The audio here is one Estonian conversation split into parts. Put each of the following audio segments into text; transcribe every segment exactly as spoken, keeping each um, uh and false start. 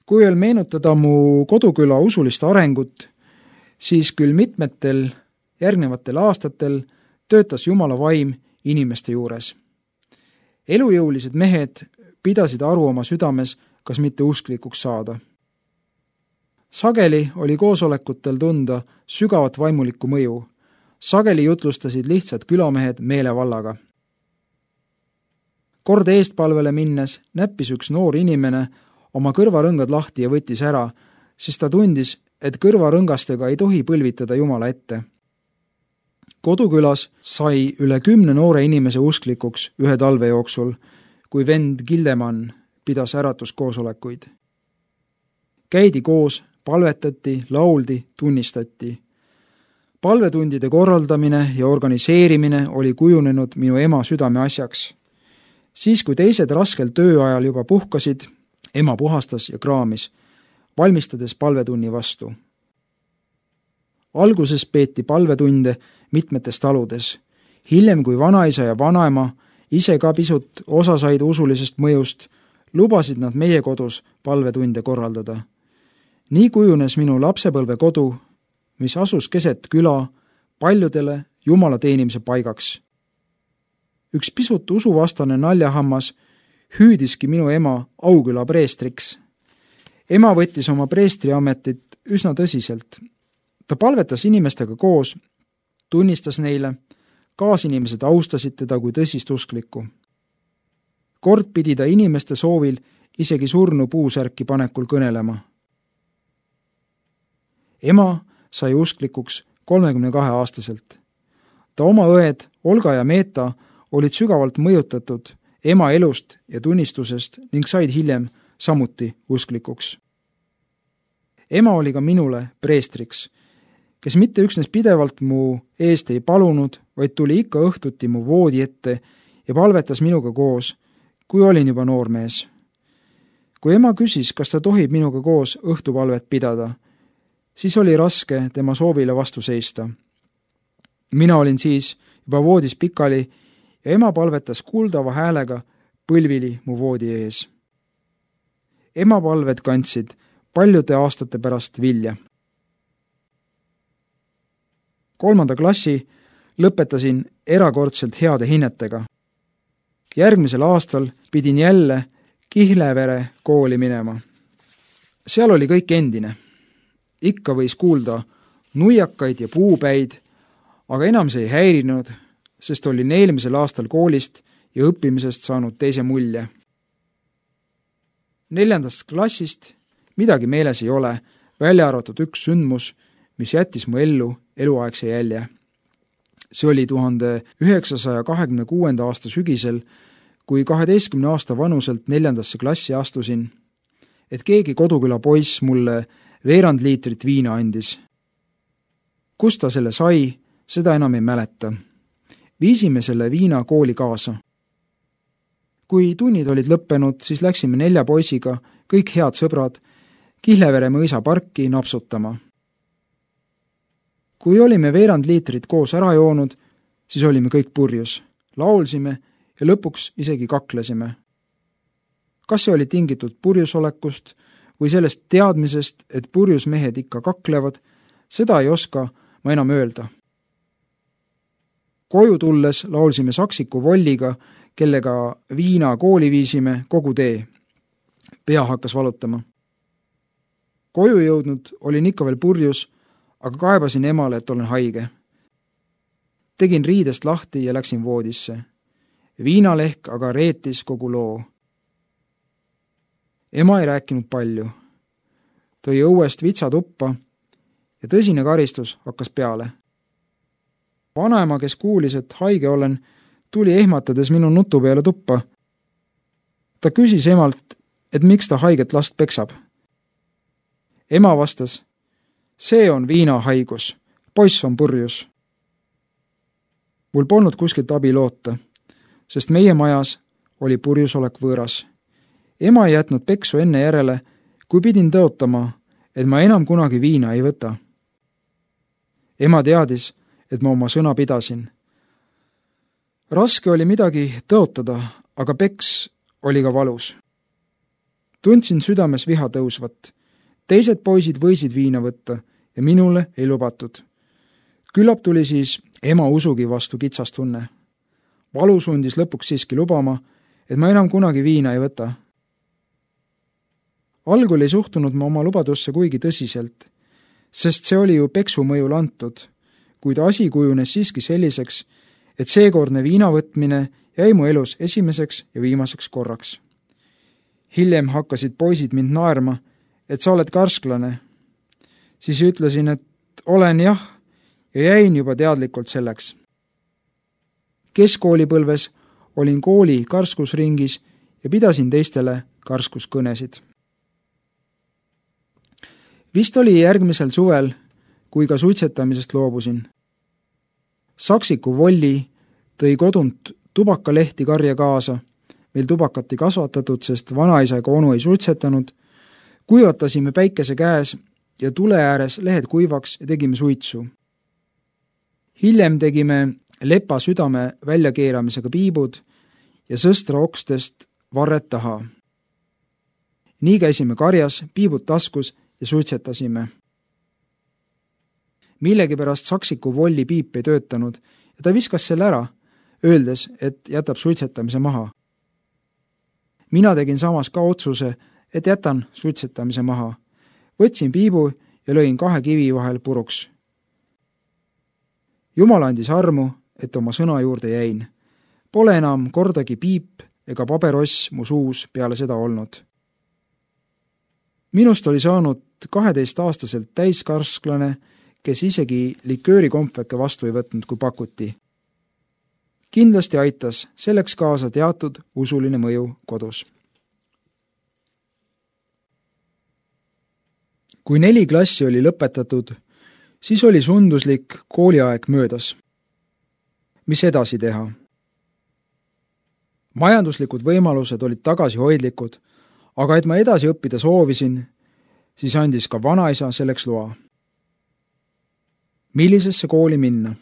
Kui veel meenutada mu koduküla usulist arengut, siis küll mitmetel järgnevatel aastatel töötas Jumala vaim inimeste juures. Elujõulised mehed pidasid aru oma südames, kas mitte usklikuks saada. Sageli oli koosolekutel tunda sügavat vaimulikku mõju. Sageli jutlustasid lihtsad külamehed meelevallaga. Kord eestpalvele minnes näppis üks noor inimene oma kõrvarõngad lahti ja võttis ära, sest ta tundis, et kõrvarõngastega ei tohi põlvitada Jumala ette. Kodukülas sai üle kümne noore inimese usklikuks ühe talve jooksul, kui vend Gildemann pidas äratuskoosolekuid. Käidi koos, palvetati, lauldi, tunnistati. Palvetundide korraldamine ja organiseerimine oli kujunenud minu ema südame asjaks. Siis, kui teised raskel tööajal juba puhkasid, ema puhastas ja kraamis, valmistades palvetunni vastu. Alguses peeti palvetunde mitmetes taludes. Hiljem, kui vanaisa ja vanaema ise ka pisut osa said usulisest mõjust, lubasid nad meie kodus palvetunde korraldada. Nii kujunes minu lapsepõlve kodu, mis asus keset küla, paljudele Jumala teenimise paigaks. Üks pisut usuvastane naljahammas hüüdiski minu ema Auküla preestriks. Ema võttis oma preestriametit üsna tõsiselt. Ta palvetas inimestega koos, tunnistas neile, kaasinimesed austasid teda kui tõsist usklikku. Kord pidi ta inimeste soovil isegi surnu puusärki panekul kõnelema. Ema sai usklikuks kolmekümne kahe aastaselt. Ta oma õed Olga ja Meeta olid sügavalt mõjutatud ema elust ja tunnistusest ning said hiljem samuti usklikuks. Ema oli ka minule preestriks, kes mitte üksnes pidevalt mu eest ei palunud, vaid tuli ikka õhtuti mu voodi ette ja palvetas minuga koos, kui olin juba noormees. Kui ema küsis, kas ta tohib minuga koos õhtupalvet pidada, siis oli raske tema soovile vastu seista. Mina olin siis juba voodis pikali ja ema palvetas kuuldava häälega põlvili mu voodi ees. Ema palved kandsid paljude aastate pärast vilja. Kolmanda klassi lõpetasin erakordselt heade hinnetega. Järgmisel aastal pidin jälle Kihlevere kooli minema. Seal oli kõik endine. Ikka võis kuulda nuiakaid ja puupäid, aga enam see ei häirinud, sest olin eelmisel aastal koolist ja õppimisest saanud teise mulje. Neljandast klassist midagi meeles ei ole, välja arvatud üks sündmus, mis jättis mu ellu eluaegse jälje. See oli tuhande üheksasaja kahekümne kuuenda aasta sügisel, kui kaheteistkümne aasta vanuselt neljandasse klassi astusin, et keegi koduküla poiss mulle veerand liitrit viina andis. Kust ta selle sai, seda enam ei mäleta. Viisime selle viina kooli kaasa. Kui tunnid olid lõppenud, siis läksime nelja poisiga, kõik head sõbrad, Kihlevere mõisa parki napsutama. Kui olime veerand liitrit koos ära joonud, siis olime kõik purjus. Laulsime ja lõpuks isegi kaklesime. Kas see oli tingitud purjusolekust või sellest teadmisest, et purjus mehed ikka kaklevad, seda ei oska ma enam öelda. Koju tulles laulsime Saksiku Volliga, kellega viina kooli viisime kogu tee. Pea hakkas valutama. Koju jõudnud olin ikka veel purjus, aga kaebasin emale, et olen haige. Tegin riidest lahti ja läksin voodisse. Viinalehk aga reetis kogu loo. Ema ei rääkinud palju. Tõi õuest vitsatuppa ja tõsine karistus hakkas peale. Vanaema, kes kuulis, et haige olen, tuli ehmatades minu nutu peale tuppa. Ta küsis emalt, et miks ta haiget last peksab. Ema vastas, see on viinahaigus, poiss on purjus. Mul polnud kuskilt abi loota, sest meie majas oli purjusolek võõras. Ema ei jätnud peksu enne järele, kui pidin tõotama, et ma enam kunagi viina ei võta. Ema teadis, et ma oma sõna pidasin. Raske oli midagi tõotada, aga peks oli ka valus. Tundsin südames viha tõusvat. Teised poisid võisid viina võtta ja minule ei lubatud. Küllap tuli siis ema usugi vastu kitsastunne. Valu sundis lõpuks siiski lubama, et ma enam kunagi viina ei võta. Algul ei suhtunud ma oma lubadusse kuigi tõsiselt, sest see oli ju peksu mõjul antud, kuid asi kujunes siiski selliseks, et seekordne viina võtmine jäi mu elus esimeseks ja viimaseks korraks. Hiljem hakkasid poisid mind naerma, et sa oled karsklane. Siis ütlesin, et olen jah, ja jäin juba teadlikult selleks. Keskkoolipõlves olin kooli karskusringis ja pidasin teistele karskuskõnesid. Vist oli järgmisel suvel, kui ka suitsetamisest loobusin. Saksiku Volli tõi kodunt tubakalehti karja kaasa, meil tubakat ei kasvatatud, sest vanaisa ega onu ei suitsetanud, kuivatasime päikese käes ja tule ääres lehed kuivaks ja tegime suitsu. Hiljem tegime lepa südame väljakeeramisega piibud ja sõstra okstest varred taha. Nii käisime karjas, piibud taskus ja suitsetasime. Millegipärast Saksiku Volli piip ei töötanud ja ta viskas selle ära, öeldes, et jätab suitsetamise maha. Mina tegin samas ka otsuse, et jätan suitsetamise maha. Võtsin piibu ja lõin kahe kivi vahel puruks. Jumal andis armu, et oma sõna juurde jäin. Pole enam kordagi piip ega pabeross mu suus peale seda olnud. Minust oli saanud kaheteistaastaselt täiskarsklane, kes isegi liköörikompveke vastu ei võtnud, kui pakuti. Kindlasti aitas selleks kaasa teatud usuline mõju kodus. Kui neli klassi oli lõpetatud, siis oli sunduslik kooliaeg möödas. Mis edasi teha? Majanduslikud võimalused olid tagasihoidlikud, aga et ma edasi õppida soovisin, siis andis ka vanaisa selleks loa. Millisesse kooli minna?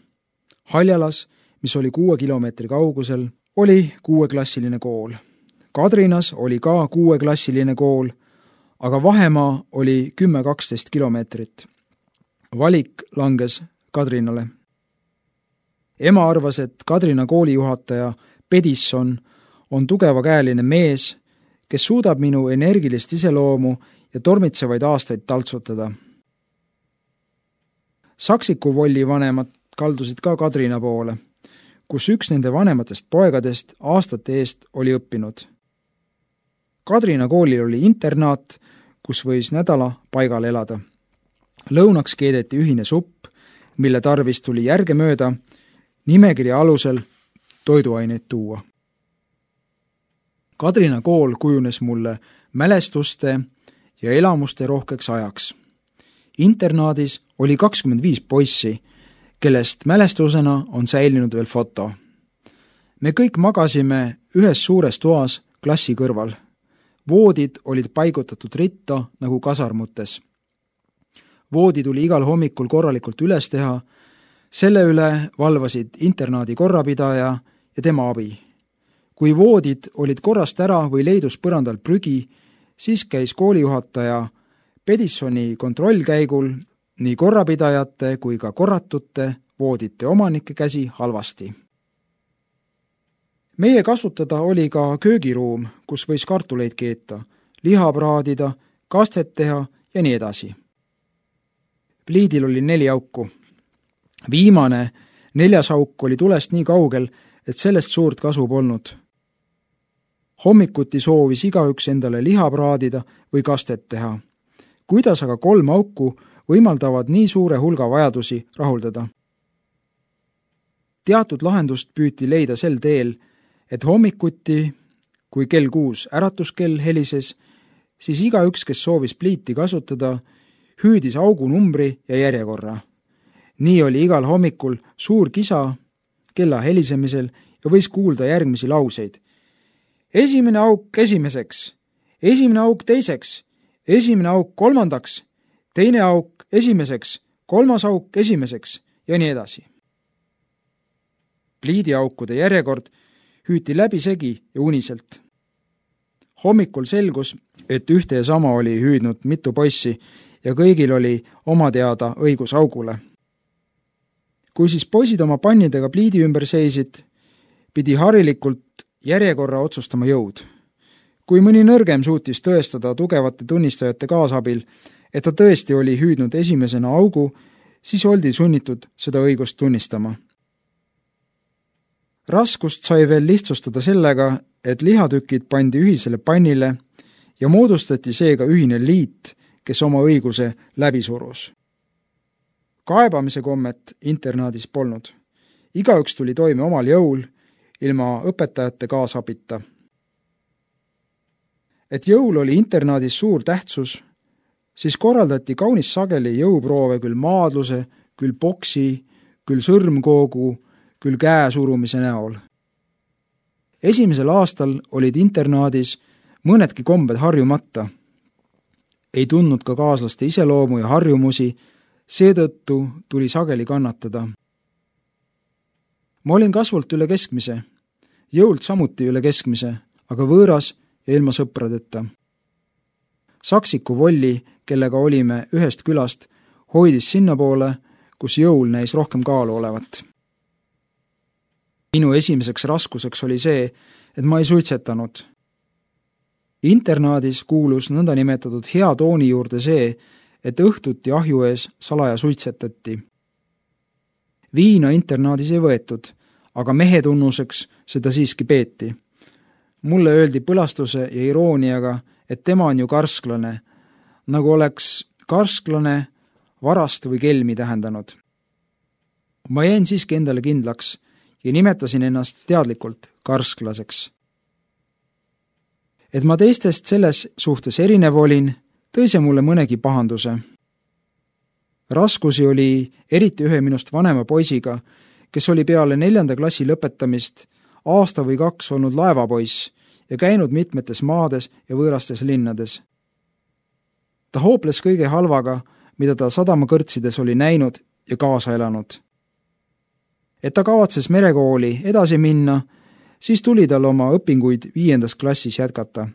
Haljalas, mis oli kuue kilomeetri kaugusel, oli kuueklassiline kool. Kadrinas oli ka kuueklassiline kool, aga vahemaa oli kümme kaksteist kilomeetrit. Valik langes Kadrinale. Ema arvas, et Kadrina koolijuhataja Pedisson on tugevakäeline mees, kes suudab minu energilist iseloomu ja tormitsevaid aastaid taltsutada. Saksiku Volli vanemad kaldusid ka Kadrina poole, kus üks nende vanematest poegadest aastate eest oli õppinud. Kadrina koolil oli internaat, kus võis nädala paigal elada. Lõunaks keedeti ühine supp, mille tarvis tuli järgemööda nimekirja alusel toiduaineid tuua. Kadrina kool kujunes mulle mälestuste ja elamuste rohkeks ajaks. Internaadis oli kakskümmend viis poissi, kellest mälestusena on säilinud veel foto. Me kõik magasime ühes suures toas klassi kõrval. Voodid olid paigutatud ritta nagu kasarmutes. Voodi tuli igal hommikul korralikult üles teha, selle üle valvasid internaadi korrapidaja ja tema abi. Kui voodid olid korrast ära või leidus põrandal prügi, siis käis koolijuhataja Pedissoni kontrollkäigul nii korrapidajate kui ka korratute voodite omanike käsi halvasti. Meie kasutada oli ka köögiruum, kus võis kartuleid keeta, liha praadida, kastet teha ja nii edasi. Pliidil oli neli auku. Viimane, neljas auk oli tulest nii kaugel, et sellest suurt kasu polnud. Hommikuti soovis igaüks endale liha praadida või kastet teha. Kuidas aga kolm auku võimaldavad nii suure hulga vajadusi rahuldada? Teatud lahendust püüti leida sel teel, et hommikuti, kui kell kuus äratuskell helises, siis igaüks, kes soovis pliiti kasutada, hüüdis augu numbri ja järjekorra. Nii oli igal hommikul suur kisa kella helisemisel ja võis kuulda järgmisi lauseid. Esimene auk esimeseks, esimene auk teiseks, esimene auk kolmandaks, teine auk esimeseks, kolmas auk esimeseks ja nii edasi. Pliidiaukude järjekord hüüti läbisegi ja uniselt. Hommikul selgus, et ühte ja sama oli hüüdnud mitu poissi ja kõigil oli oma teada õigus augule. Kui siis poisid oma pannidega pliidi ümber seisid, pidi harilikult järjekorra otsustama jõud. Kui mõni nõrgem suutis tõestada tugevate tunnistajate kaasabil, et ta tõesti oli hüüdnud esimesena augu, siis oldi sunnitud seda õigust tunnistama. Raskust sai veel lihtsustada sellega, et lihatükid pandi ühisele pannile ja moodustati seega ühine liit, kes oma õiguse läbi surus. Kaebamise kommet internaadis polnud. Igaüks tuli toime omal jõul, ilma õpetajate kaasabita. Et jõul oli internaadis suur tähtsus, siis korraldati kaunis sageli jõuproove küll maadluse, küll boksi, küll sõrmkoogu, küll käesurumise näol. Esimesel aastal olid internaadis mõnedki kombed harjumata. Ei tundnud ka kaaslaste iseloomu ja harjumusi, seetõttu tuli sageli kannatada. Ma olin kasvult üle keskmise, jõult samuti üle keskmise, aga võõras ja ilma sõpradeta. Saksiku Volli, kellega olime ühest külast, hoidis sinnapoole, kus jõul näis rohkem kaalu olevat. Minu esimeseks raskuseks oli see, et ma ei suitsetanud. Internaadis kuulus nõnda nimetatud hea tooni juurde see, et õhtuti ahju ees salaja suitsetati. Viina internaadis ei võetud, aga mehe tunnuseks seda siiski peeti. Mulle öeldi põlastuse ja irooniaga, et tema on ju karsklane, nagu oleks karsklane varast või kelmi tähendanud. Ma jäin siiski endale kindlaks ja nimetasin ennast teadlikult karsklaseks. Et ma teistest selles suhtes erinev olin, tõi see mulle mõnegi pahanduse. Raskusi oli eriti ühe minust vanema poisiga, kes oli peale neljanda klassi lõpetamist aasta või kaks olnud laevapoiss ja käinud mitmetes maades ja võõrastes linnades. Ta hooples kõige halvaga, mida ta sadamakõrtsides oli näinud ja kaasa elanud. Et ta kavatses merekooli edasi minna, siis tuli tal oma õpinguid viiendas klassis jätkata.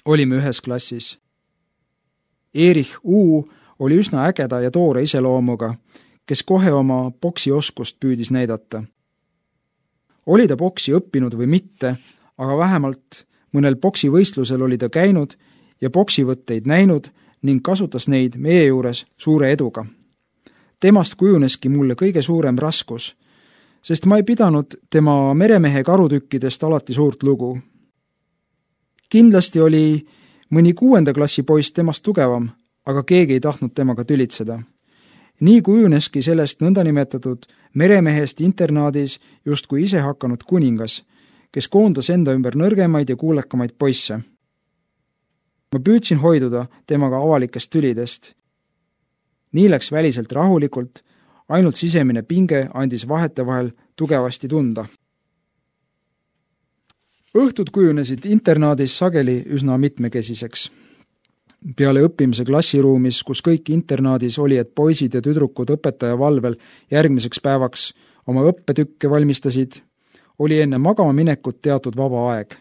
Olime ühes klassis. Erich U oli üsna ägeda ja toore iseloomuga, kes kohe oma boksioskust püüdis näidata. Oli ta boksi õppinud või mitte, aga vähemalt mõnel boksivõistlusel oli ta käinud ja boksivõtteid näinud ning kasutas neid meie juures suure eduga. Temast kujuneski mulle kõige suurem raskus, sest ma ei pidanud tema meremehe karutükkidest alati suurt lugu. Kindlasti oli mõni kuuenda klassi poiss temast tugevam, aga keegi ei tahtnud temaga tülitseda. Nii kujuneski sellest nõndanimetatud meremehest internaadis justkui ise hakanud kuningas, kes koondas enda ümber nõrgemaid ja kuulekamaid poisse. Ma püüdsin hoiduda temaga avalikest tülidest. Nii läks väliselt rahulikult, ainult sisemine pinge andis vahetevahel tugevasti tunda. Õhtud kujunesid internaadis sageli üsna mitmekesiseks. Peale õppimise klassiruumis, kus kõik internaadis oli, et poisid ja tüdrukud õpetaja valvel järgmiseks päevaks oma õppetükke valmistasid, oli enne magama minekut teatud vaba aeg.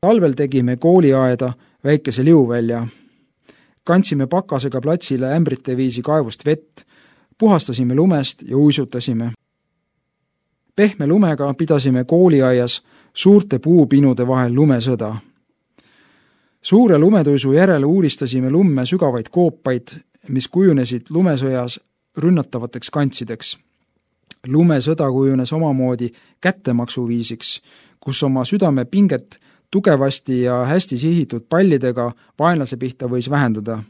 Talvel tegime kooliaeda väikese liuvälja. Kandsime pakasega platsile ämbrite viisi kaevust vett, puhastasime lumest ja uisutasime. Pehme lumega pidasime kooliaias suurte puupinude vahel lumesõda. Suure lumetuisu järele uuristasime lumme sügavaid koopaid, mis kujunesid lumesõjas rünnatavateks kantsideks. Lumesõda kujunes omamoodi kättemaksuviisiks, kus oma südame pinget tugevasti ja hästi sihitud pallidega vaenlase pihta võis vähendada.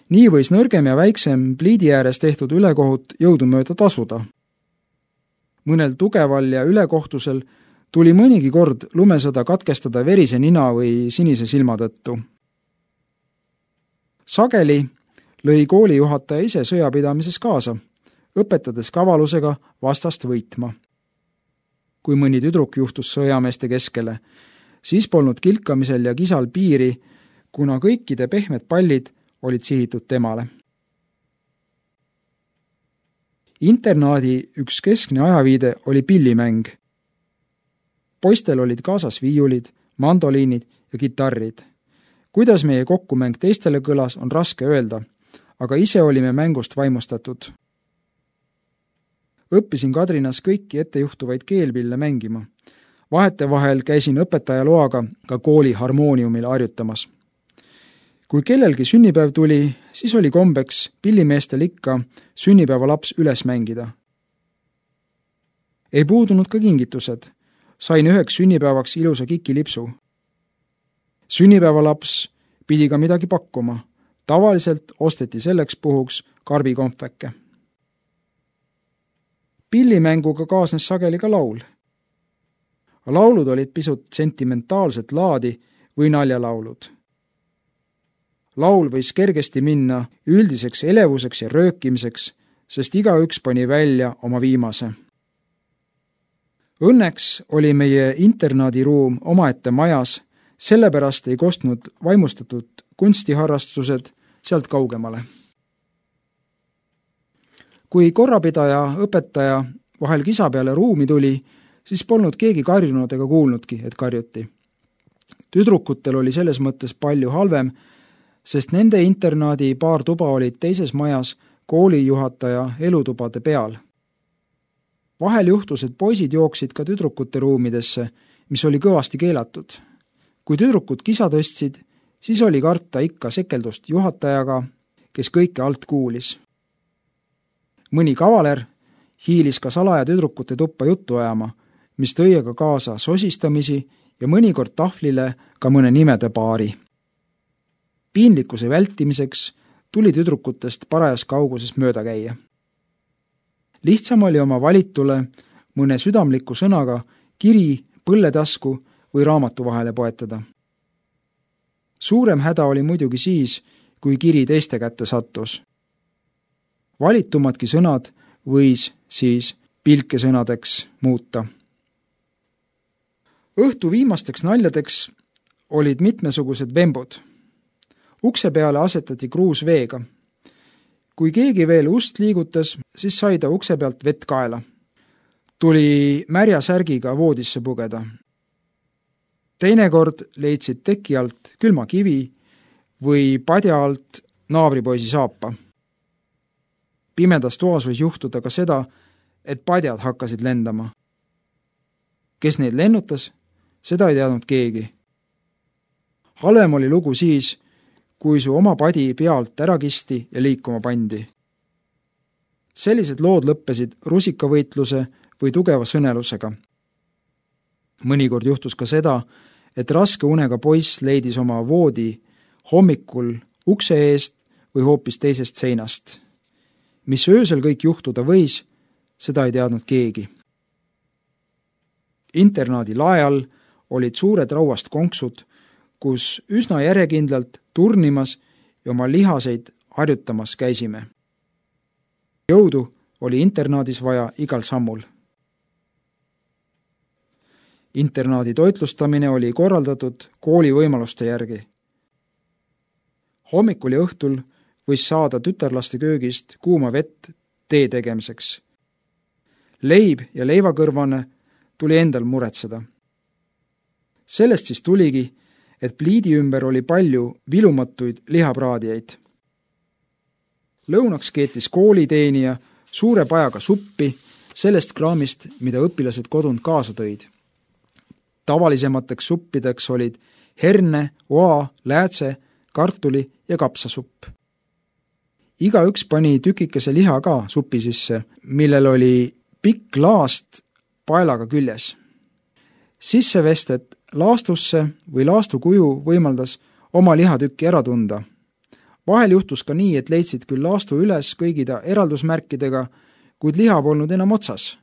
Nii võis nõrgem ja väiksem pliidi ääres tehtud ülekohut jõudumööda tasuda. Mõnel tugeval ja ülekohtusel tuli mõnigi kord lumesõda katkestada verise nina või sinise silma tõttu. Sageli lõi koolijuhataja ise sõjapidamises kaasa, õpetades kavalusega vastast võitma. Kui mõni tüdruk juhtus sõjameeste keskele, siis polnud kilkamisel ja kisal piiri, kuna kõikide pehmed pallid olid sihitud temale. Internaadi üks keskne ajaviide oli pillimäng. Poistel olid kaasas viiulid, mandoliinid ja kitarrid. Kuidas meie kokkumäng teistele kõlas, on raske öelda, aga ise olime mängust vaimustatud. Õppisin Kadrinas kõiki ettejuhtuvaid keelpille mängima. Vahetevahel käisin õpetaja loaga ka kooli harmooniumil harjutamas. Kui kellelgi sünnipäev tuli, siis oli kombeks pillimeestel ikka sünnipäevalaps üles mängida. Ei puudunud ka kingitused. Sain üheks sünnipäevaks ilusa kikilipsu. Sünnipäevalaps pidi ka midagi pakkuma. Tavaliselt osteti selleks puhuks karbikompveke. Pillimänguga kaasnes sageli ka laul. Laulud olid pisut sentimentaalset laadi või naljalaulud. Laul võis kergesti minna üldiseks elevuseks ja röökimiseks, sest igaüks pani välja oma viimase. Õnneks oli meie internaadiruum omaette majas, sellepärast ei kostnud vaimustatud kunstiharrastused sealt kaugemale. Kui korrapidaja õpetaja vahel kisa peale ruumi tuli, siis polnud keegi karjunud ega kuulnudki, et karjuti. Tüdrukutel oli selles mõttes palju halvem, sest nende internaadi paar tuba olid teises majas koolijuhataja elutubade peal. Vahel juhtus, et poisid jooksid ka tüdrukute ruumidesse, mis oli kõvasti keelatud. Kui tüdrukud kisa tõstsid, siis oli karta ikka sekeldust juhatajaga, kes kõike alt kuulis. Mõni kavaler hiilis ka salaja tüdrukute tuppa juttu ajama, mis tõi aga kaasa sosistamisi ja mõnikord tahvlile ka mõne nimede paari. Piinlikkuse vältimiseks tuli tüdrukutest parajas kauguses mööda käia. Lihtsam oli oma valitule mõne südamliku sõnaga kiri, põlletasku või raamatu vahele poetada. Suurem häda oli muidugi siis, kui kiri teiste kätte sattus. Valitumadki sõnad võis siis pilkesõnadeks muuta. Õhtu viimasteks naljadeks olid mitmesugused vembud. Ukse peale asetati kruus veega. Kui keegi veel ust liigutas, siis sai ta ukse pealt vett kaela. Tuli märja särgiga voodisse pugeda. Teinekord leidsid teki alt külma kivi või padja alt naabripoisi saapa. Pimedas toas võis juhtuda ka seda, et padjad hakkasid lendama. Kes neid lennutas, seda ei teadnud keegi. Halvem oli lugu siis, kui su oma padi pealt ära kisti ja liikuma pandi. Sellised lood lõppesid rusikavõitluse või tugeva sõnelusega. Mõnikord juhtus ka seda, et raske unega poiss leidis oma voodi hommikul ukse eest või hoopis teisest seinast. Mis öösel kõik juhtuda võis, seda ei teadnud keegi. Internaadi lae all olid suured rauast konksud, kus üsna järjekindlalt turnimas ja oma lihaseid harjutamas käisime. Jõudu oli internaadis vaja igal sammul. Internaadi toitlustamine oli korraldatud kooli võimaluste järgi. Hommikul ja õhtul võis saada tütarlaste köögist kuuma vett tee tegemiseks. Leib ja leivakõrvane tuli endal muretseda. Sellest siis tuligi, et pliidi ümber oli palju vilumatuid lihapraadijaid. Lõunaks keetis kooliteenija suure pajaga suppi sellest kraamist, mida õpilased kodunt kaasa tõid. Tavalisemateks suppideks olid herne, oa, läätse, kartuli ja kapsasupp. Iga üks pani tükikese liha ka supi sisse, millel oli pikk laast paelaga küljes. Sissevestet laastusse või laastukuju võimaldas oma lihatükki ära tunda. Vahel juhtus ka nii, et leidsid küll laastu üles kõigida eraldusmärkidega, kuid liha polnud enam otsas.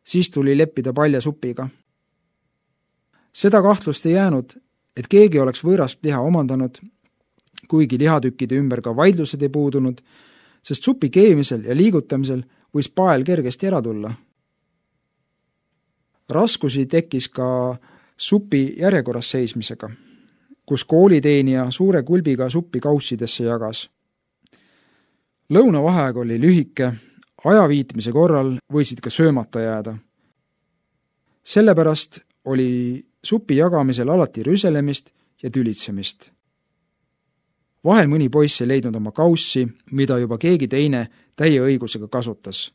Siis tuli leppida palja supiga. Seda kahtlust ei jäänud, et keegi oleks võõrast liha omandanud, kuigi lihatükkide ümber ka vaidlused ei puudunud, sest supi keemisel ja liigutamisel võis pael kergesti ära tulla. Raskusi tekkis ka supi järjekorras seismisega, kus kooliteenija suure kulbiga suppi kaussidesse jagas. Lõunavaheaeg oli lühike, ajaviitmise korral võisid ka söömata jääda. Sellepärast oli supi jagamisel alati rüselemist ja tülitsemist. Vahel mõni poiss ei leidnud oma kaussi, mida juba keegi teine täie õigusega kasutas.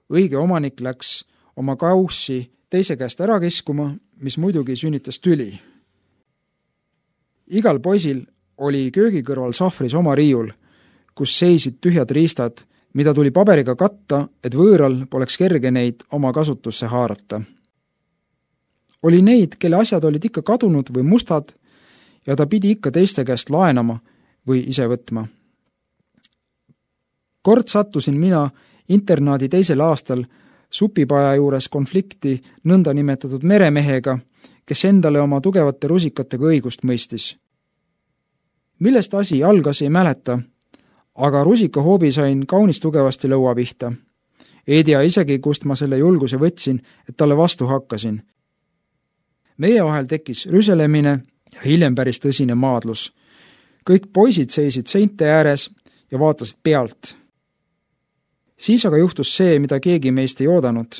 Õige omanik läks oma kaussi teise käest ära kiskuma, mis muidugi sünnitas tüli. Igal poisil oli köögi kõrval sahvris oma riiul, kus seisid tühjad riistad, mida tuli paberiga katta, et võõral poleks kerge neid oma kasutusse haarata. Oli neid, kelle asjad olid ikka kadunud või mustad ja ta pidi ikka teiste käest laenama või ise võtma. Kord sattusin mina internaadi teisel aastal supipaja juures konflikti nõnda nimetatud meremehega, kes endale oma tugevate rusikatega õigust mõistis. Millest asi algas, ei mäleta, aga rusikahoobi sain kaunis tugevasti lõua pihta. Ei tea isegi, kust ma selle julguse võtsin, et talle vastu hakkasin. Meie vahel tekkis rüselemine ja hiljem päris tõsine maadlus. Kõik poisid seisid seinte ääres ja vaatasid pealt. Siis aga juhtus see, mida keegi meist ei oodanud.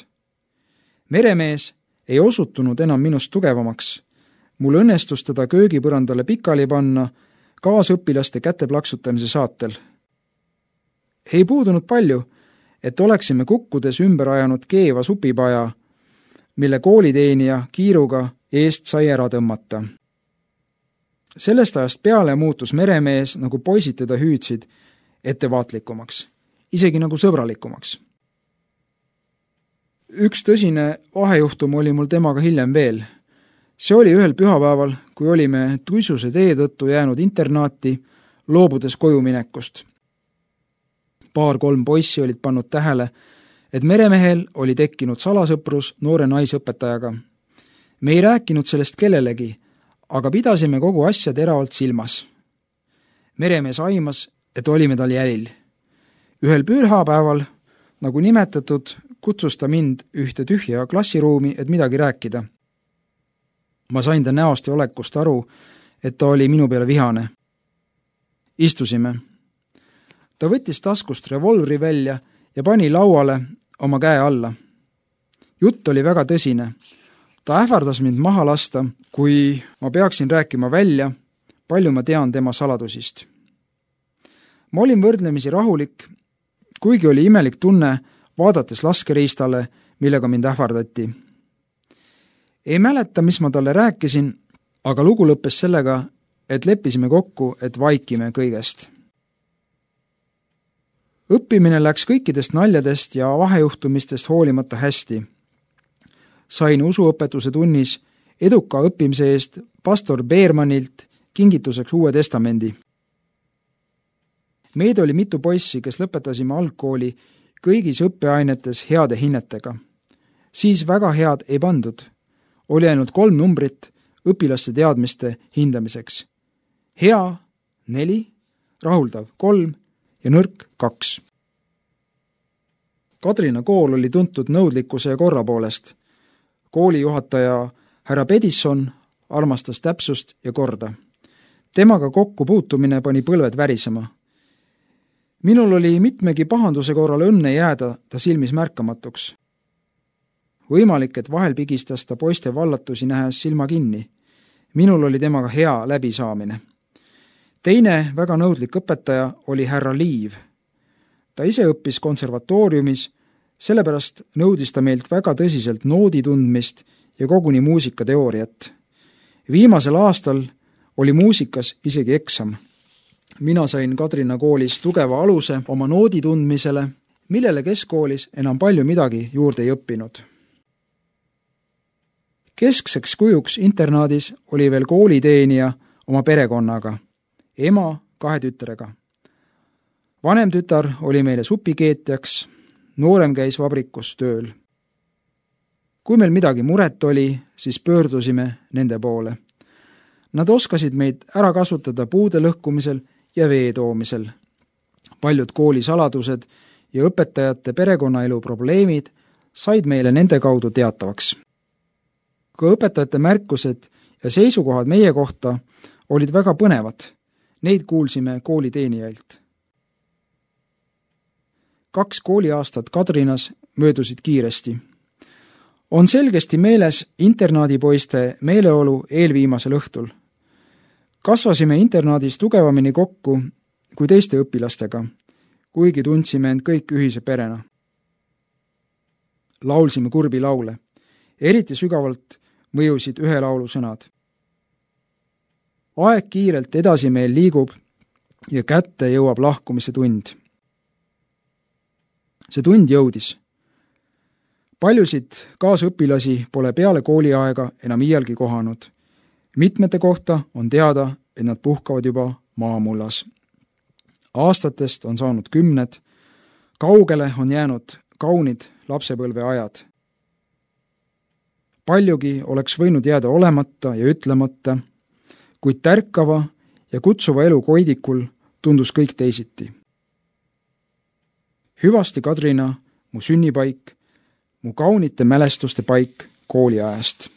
Meremees ei osutunud enam minust tugevamaks. Mul õnnestus teda köögipõrandale pikali panna kaasõpilaste käteplaksutamise saatel. Ei puudunud palju, et oleksime kukkudes ümber ajanud keeva supipaja, mille kooliteenija kiiruga eest sai ära tõmmata. Sellest ajast peale muutus meremees, nagu poisid teda hüüdsid, ettevaatlikumaks, isegi nagu sõbralikumaks. Üks tõsine vahejuhtum oli mul temaga hiljem veel. See oli ühel pühapäeval, kui olime tuisuse tee tõttu jäänud internaati, loobudes koju minekust. Paar-kolm poissi olid pannud tähele, et meremehel oli tekkinud salasõprus noore naisõpetajaga. Me ei rääkinud sellest kellelegi, aga pidasime kogu asja teravalt silmas. Meremees aimas, et olime tal jälil. Ühel pühapäeval, nagu nimetatud, kutsus ta mind ühte tühja klassiruumi, et midagi rääkida. Ma sain ta näost ja olekust aru, et ta oli minu peale vihane. Istusime. Ta võttis taskust revolvri välja ja pani lauale oma käe alla. Jutt oli väga tõsine. Ta ähvardas mind maha lasta, kui ma peaksin rääkima välja, palju ma tean tema saladusist. Ma olin võrdlemisi rahulik, kuigi oli imelik tunne, vaadates laskeriistale, millega mind ähvardati. Ei mäleta, mis ma talle rääkisin, aga lugu lõppes sellega, et leppisime kokku, et vaikime kõigest. Õppimine läks kõikidest naljadest ja vahejuhtumistest hoolimata hästi. Sain usuõpetuse tunnis eduka õppimise eest pastor Beermanilt kingituseks Uue Testamendi. Meid oli mitu poissi, kes lõpetasime algkooli kõigis õppeainetes heade hinnetega. Siis väga head ei pandud. Oli ainult kolm numbrit õpilaste teadmiste hindamiseks. Hea neli, rahuldav kolm ja nõrk kaks. Kadrina kool oli tuntud nõudlikkuse ja korra poolest. Koolijuhataja härra Pedisson armastas täpsust ja korda. Temaga kokku puutumine pani põlved värisema. Minul oli mitmegi pahanduse korral õnne jääda ta silmis märkamatuks. Võimalik, et vahel pigistas ta poiste vallatusi nähes silma kinni. Minul oli temaga hea läbisaamine. Teine väga nõudlik õpetaja oli härra Liiv. Ta ise õppis konservatooriumis, sellepärast nõudis ta meilt väga tõsiselt noodi tundmist ja koguni muusikateooriat. Viimasel aastal oli muusikas isegi eksam. Mina sain Kadrina koolis tugeva aluse oma noodi tundmisele, millele keskkoolis enam palju midagi juurde ei õppinud. Keskseks kujuks internaadis oli veel kooliteenija oma perekonnaga, ema kahe tütrega. Vanem tütar oli meile supikeetjaks, noorem käis vabrikus tööl. Kui meil midagi muret oli, siis pöördusime nende poole. Nad oskasid meid ära kasutada puude lõhkumisel ja vee toomisel. Paljud koolisaladused ja õpetajate perekonnaelu probleemid said meile nende kaudu teatavaks. Ka õpetajate märkused ja seisukohad meie kohta olid väga põnevad. Neid kuulsime kooliteenijailt. Kaks kooliaastat Kadrinas möödusid kiiresti. On selgesti meeles internaadipoiste meeleolu eelviimasel õhtul. kasvasime internaadis tugevamini kokku kui teiste õpilastega, kuigi tundsime end kõik ühise perena. Laulsime kurbi laule. Eriti sügavalt mõjusid ühe laulu sõnad. Aeg kiirelt edasi meil liigub ja kätte jõuab lahkumise tund. See tund jõudis. Paljusid kaasõpilasi pole peale kooliaega enam iialgi kohanud. Mitmete kohta on teada, et nad puhkavad juba maamullas. Aastatest on saanud kümned, kaugele on jäänud kaunid lapsepõlve ajad. Paljugi oleks võinud jääda olemata ja ütlemata, kuid tärkava ja kutsuva elu koidikul tundus kõik teisiti. Hüvasti Kadrina, mu sünnipaik, mu kaunite mälestuste paik kooliajast.